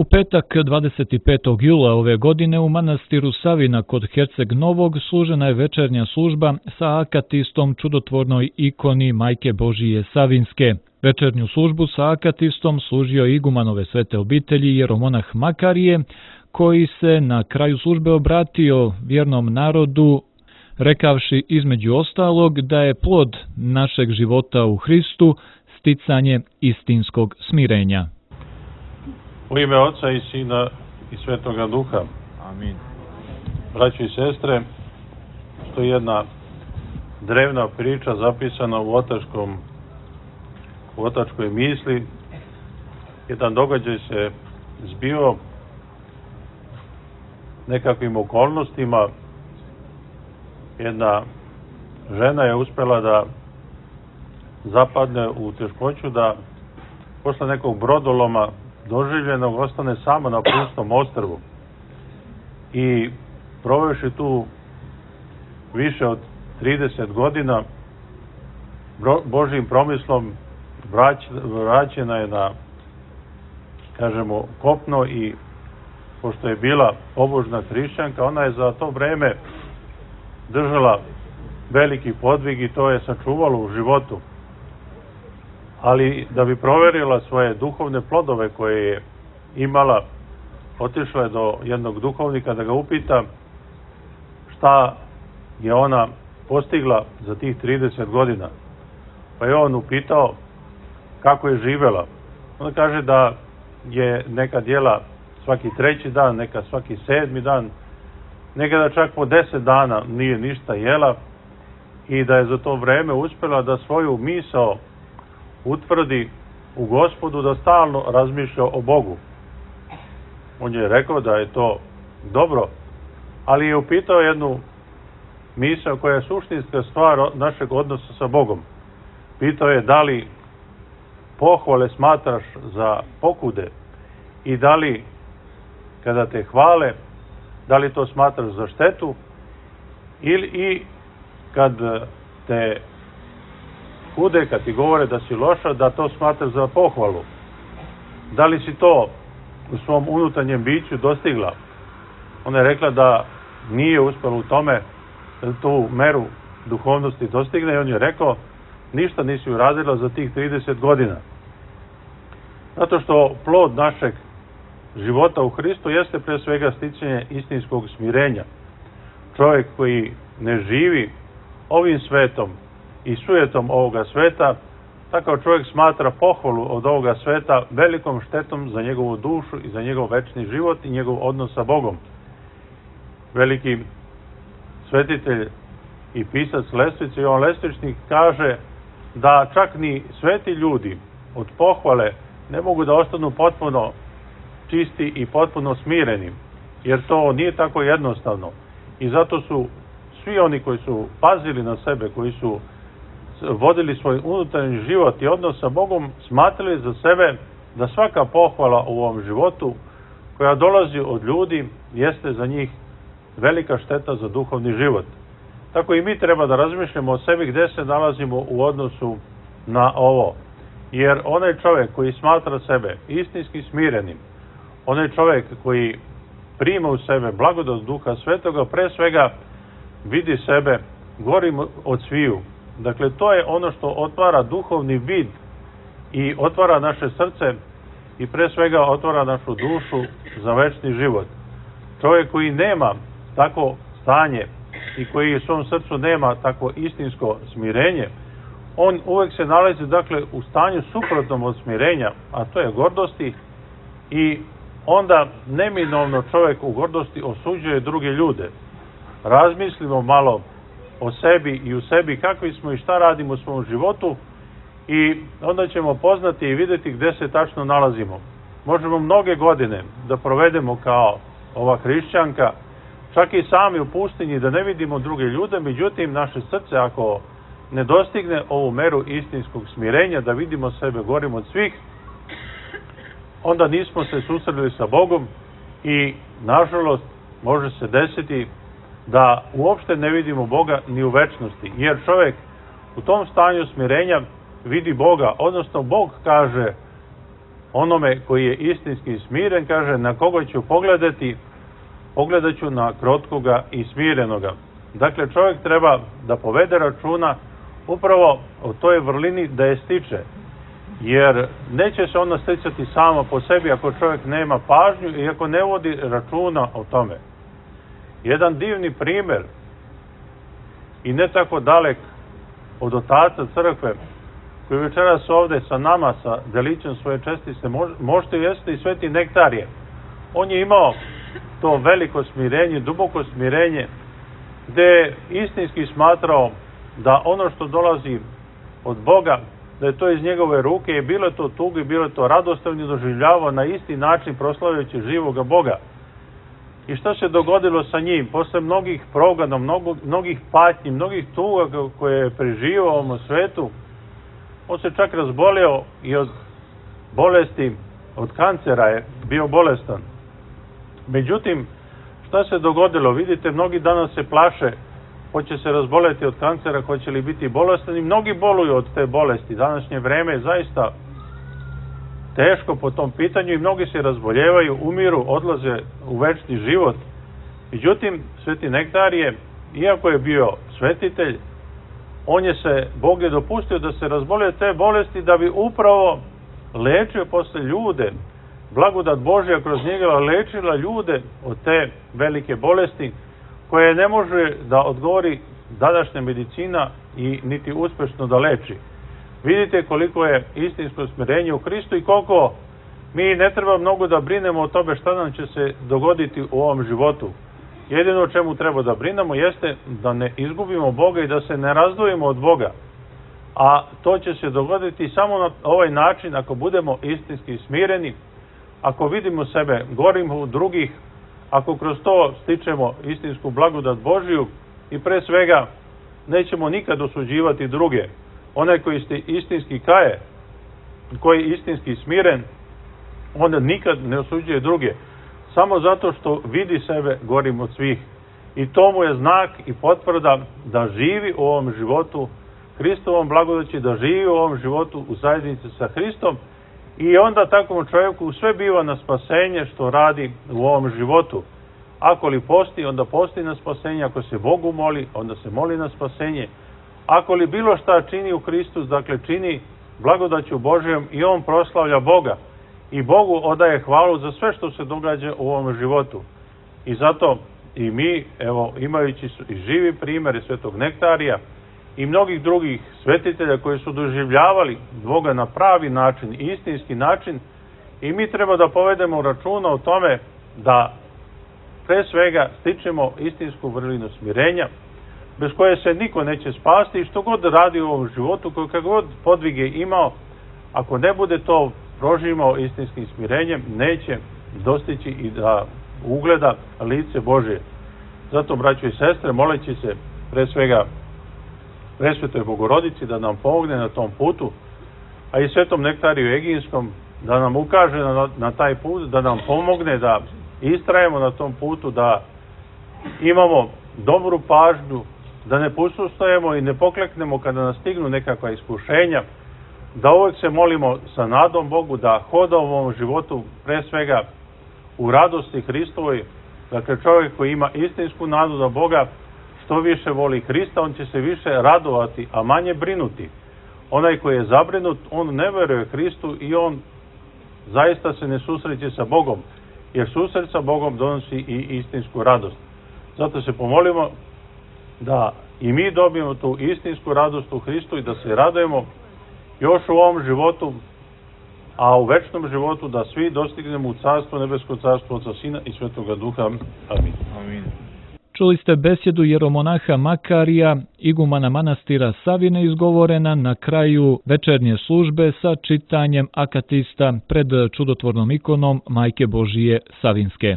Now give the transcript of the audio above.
U petak 25. jula ove godine u manastiru Savina kod Herceg Novog služena je večernja služba sa akatistom čudotvornoj ikoni Majke Božije Savinske. Večernju službu sa akatistom služio igumanove svete obitelji jeromonah Makarije, koji se na kraju službe obratio vjernom narodu, rekavši između ostalog da je plod našeg života u Hristu sticanje istinskog smirenja. U ime Oca i Sina i Svetoga Duha. Amin. Braćo i sestre, što je jedna drevna priča zapisana u otačkoj misli. Jedan događaj se zbio nekakvim okolnostima. Jedna žena je uspjela da zapadne u teškoću, da posle nekog brodoloma doživljenog ostane sama na pustom ostrvu. I provevši tu više od 30 godina, Božjim promislom vraćena je na, kažemo, kopno i pošto je bila pobožna hrišćanka, ona je za to vreme držala veliki podvig i to je sačuvalo u životu. Ali da bi proverila svoje duhovne plodove koje je imala, otišla je do jednog duhovnika da ga upita šta je ona postigla za tih 30 godina. Pa je on upitao kako je živela. Ona kaže da je nekad jela svaki 3. dan, nekad svaki 7. dan, nekada čak po 10 dana nije ništa jela i da je za to vreme uspjela da svoju misao utvrdi u Gospodu, da stalno razmišlja o Bogu. On je rekao da je to dobro, ali je upitao jednu misao koja je suštinska stvar našeg odnosa sa Bogom. Pitao je da li pohvale smatraš za pokude i da li kada te hvale, da li to smatraš za štetu i kad te kude, kad ti govore da si loša, da to smatraš za pohvalu. Da li si to u svom unutarnjem biću dostigla? Ona je rekla da nije uspela u tome da tu meru duhovnosti dostigne i on je rekao ništa nisi uradila za tih 30 godina. Zato što plod našeg života u Hristu jeste pre svega sticanje istinskog smirenja. Čovjek koji ne živi ovim svetom i sujetom ovoga sveta, takav čovjek smatra pohvalu od ovoga sveta velikom štetom za njegovu dušu i za njegov večni život i njegov odnos sa Bogom. Veliki svetitelj i pisac Lestvice, Jovan Lestvičnik, kaže da čak ni sveti ljudi od pohvale ne mogu da ostanu potpuno čisti i potpuno smireni, jer to nije tako jednostavno. I zato su svi oni koji su pazili na sebe, koji su vodili svoj unutarnji život i odnos sa Bogom, smatrali za sebe da svaka pohvala u ovom životu koja dolazi od ljudi jeste za njih velika šteta za duhovni život. Tako i mi treba da razmišljamo o sebi gde se nalazimo u odnosu na ovo. Jer onaj čovjek koji smatra sebe istinski smirenim, onaj čovjek koji prima u sebe blagodat Duha Svetoga, pre svega vidi sebe gorim od sviju. Dakle, to je ono što otvara duhovni vid i otvara naše srce i pre svega otvara našu dušu za večni život. Čovjek koji nema tako stanje i koji u svom srcu nema tako istinsko smirenje, on uvek se nalazi, dakle, u stanju suprotnom od smirenja, a to je gordosti, i onda neminovno čovjek u gordosti osuđuje druge ljude. Razmislimo malo o sebi i u sebi kakvi smo i šta radimo u svom životu i onda ćemo poznati i vidjeti gde se tačno nalazimo. Možemo mnoge godine da provedemo kao ova hrišćanka, čak i sami u pustinji, da ne vidimo druge ljude, međutim naše srce ako ne dostigne ovu meru istinskog smirenja, da vidimo sebe gorim od svih, onda nismo se susreli sa Bogom i nažalost može se desiti da uopšte ne vidimo Boga ni u večnosti, jer čovjek u tom stanju smirenja vidi Boga, odnosno Bog kaže onome koji je istinski smiren, kaže, na koga ću pogledati, pogledat ću na krotkoga i smirenoga. Dakle, čovjek treba da povede računa upravo o toj vrlini da je stiče, jer neće se ona sticati sama po sebi ako čovjek nema pažnju i ako ne vodi računa o tome. Jedan divni primjer i ne tako dalek od otaca crkve, koji večeras ovde sa nama, sa delićem svoje čestice, možete jeste i Sveti Nektarije. On je imao to veliko smirenje, duboko smirenje, gde je istinski smatrao da ono što dolazi od Boga, da je to iz njegove ruke i bilo je to tugi, bilo je to radostavno, doživljavao na isti način proslavljajući živoga Boga. I što se dogodilo sa njim? Posle mnogih progona, mnogih patnji, mnogih tuga koje je preživao u ovom svetu, on se čak razboleo i od bolesti, od kancera je bio bolestan. Međutim, šta se dogodilo? Vidite, mnogi danas se plaše, hoće se razboleti od kancera, hoće li biti bolestan, i mnogi boluju od te bolesti. Današnje vreme je zaista teško po tom pitanju i mnogi se razboljevaju, umiru, odlaze u večni život. Međutim, Sveti Nektarije, iako je bio svetitelj, Bog je dopustio da se razbolje te bolesti da bi upravo lečio posle ljude. Blagodat Božja kroz njega lečila ljude od te velike bolesti koje ne može da odgovori današnja medicina i niti uspešno da leči. Vidite koliko je istinsko smirenje u Hristu i koliko mi ne treba mnogo da brinemo o tome šta nam će se dogoditi u ovom životu. Jedino o čemu treba da brinemo jeste da ne izgubimo Boga i da se ne razdvojimo od Boga. A to će se dogoditi samo na ovaj način ako budemo istinski smireni, ako vidimo sebe gorim u drugih, ako kroz to stičemo istinsku blagodat Božiju i pre svega nećemo nikad osuđivati druge. Onaj koji se istinski kaje, koji je istinski smiren, on nikad ne osuđuje druge, samo zato što vidi sebe gorim od svih. I to mu je znak i potvrda da živi u ovom životu Hristovom blagodaći, da živi u ovom životu u zajednici sa Hristom, i onda takvom čovjeku sve biva na spasenje što radi u ovom životu. Ako li posti, onda posti na spasenje, ako se Bogu moli, onda se moli na spasenje. Ako li bilo šta čini u Hristu, dakle čini blagodaću Božijom, i on proslavlja Boga. I Bogu odaje hvalu za sve što se događa u ovom životu. I zato i mi, evo, imajući i živi primjer Svetog Nektarija i mnogih drugih svetitelja koji su doživljavali Boga na pravi način, istinski način, i mi treba da povedemo računa o tome da pre svega stičemo istinsku vrlinu smirenja, bez koje se niko neće spasti, i što god radi u ovom životu, kako god podvige imao, ako ne bude to proživao istinskim smirenjem, neće dostići i da ugleda lice Božije. Zato, braćo i sestre, moleći se pre svega Presvetoj Bogorodici da nam pomogne na tom putu, a i Svetom Nektariju Eginskom da nam ukaže na taj put, da nam pomogne da istrajemo na tom putu, da imamo dobru pažnju, da ne posustajemo i ne pokleknemo kada nas stignu nekakva iskušenja, da uvek se molimo sa nadom Bogu, da hodamo u ovom životu pre svega u radosti Hristovoj. Dakle, čovjek koji ima istinsku nadu da Boga, što više voli Hrista, on će se više radovati, a manje brinuti. Onaj koji je zabrinut, on ne veruje Hristu i on zaista se ne susreće sa Bogom, jer susret sa Bogom donosi i istinsku radost. Zato se pomolimo da i mi dobijemo tu istinsku radost u Hristu i da se radujemo još u ovom životu, a u večnom životu da svi dostignemo u Carstvo nebesko, Carstvo Oca, Sina i Svetoga Duha. Amin. Amin. Čuli ste besjedu jeromonaha Makarija, igumana manastira Savine, izgovorena na kraju večernje službe sa čitanjem akatista pred čudotvornom ikonom Majke Božije Savinske.